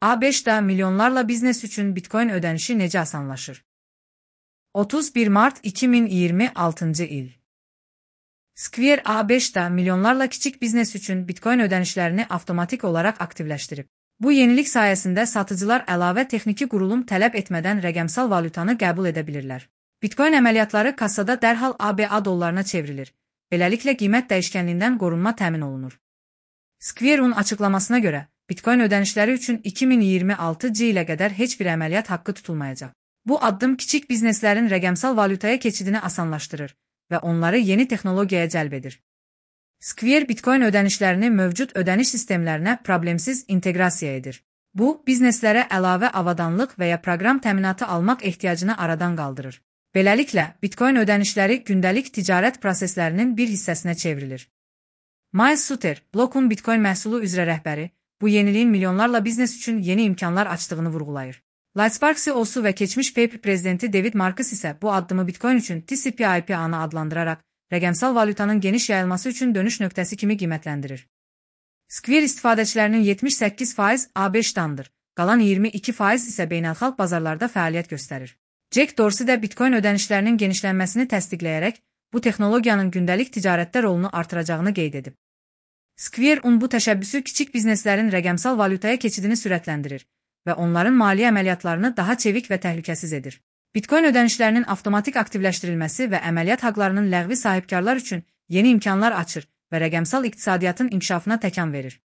A5'də milyonlarla biznes üçün Bitcoin ödənişi necə asanlaşır? 31 Mart 2026 il. Square A5'də milyonlarla kiçik biznes üçün Bitcoin ödənişlərini avtomatik olaraq aktivləşdirib. Bu yenilik sayəsində satıcılar əlavə texniki qurulum tələb etmədən rəqəmsal valyutanı qəbul edə bilirlər. Bitcoin əməliyyatları kassada dərhal ABA dollarına çevrilir. Beləliklə qiymət dəyişkənliyindən qorunma təmin olunur. Square'un açıqlamasına görə, Bitcoin ödənişləri üçün 2026 ilə qədər heç bir əməliyyat haqqı tutulmayacaq. Bu addım kiçik bizneslərin rəqəmsal valyutaya keçidini asanlaşdırır və onları yeni texnologiyaya cəlb edir. Square Bitcoin ödənişlərini mövcud ödəniş sistemlərinə problemsiz inteqrasiya edir. Bu, bizneslərə əlavə avadanlıq və ya proqram təminatı almaq ehtiyacını aradan qaldırır. Beləliklə, Bitcoin ödənişləri gündəlik ticarət proseslərinin bir hissəsinə çevrilir. Miles Suter, Block'un Bitcoin məhsulu üzrə rəhbəri, bu yeniliyin milyonlarla biznes üçün yeni imkanlar açdığını vurğulayır. Lightspark CEO-su və keçmiş PayPal prezidenti David Marcus isə bu addımı Bitcoin üçün TCP/IP-anı adlandıraraq, rəqəmsal valyutanın geniş yayılması üçün dönüş nöqtəsi kimi qiymətləndirir. Square istifadəçilərinin 78% A5-dandır, qalan 22% isə beynəlxalq bazarlarda fəaliyyət göstərir. Jack Dorsey də Bitcoin ödənişlərinin genişlənməsini təsdiqləyərək, bu texnologiyanın gündəlik ticarətdə rolunu artıracağını qeyd edib. Square-un bu təşəbbüsü kiçik bizneslərin rəqəmsal valyutaya keçidini sürətləndirir və onların maliyyə əməliyyatlarını daha çevik və təhlükəsiz edir. Bitcoin ödənişlərinin avtomatik aktivləşdirilməsi və əməliyyat haqlarının ləğvi sahibkarlar üçün yeni imkanlar açır və rəqəmsal iqtisadiyyatın inkişafına təkan verir.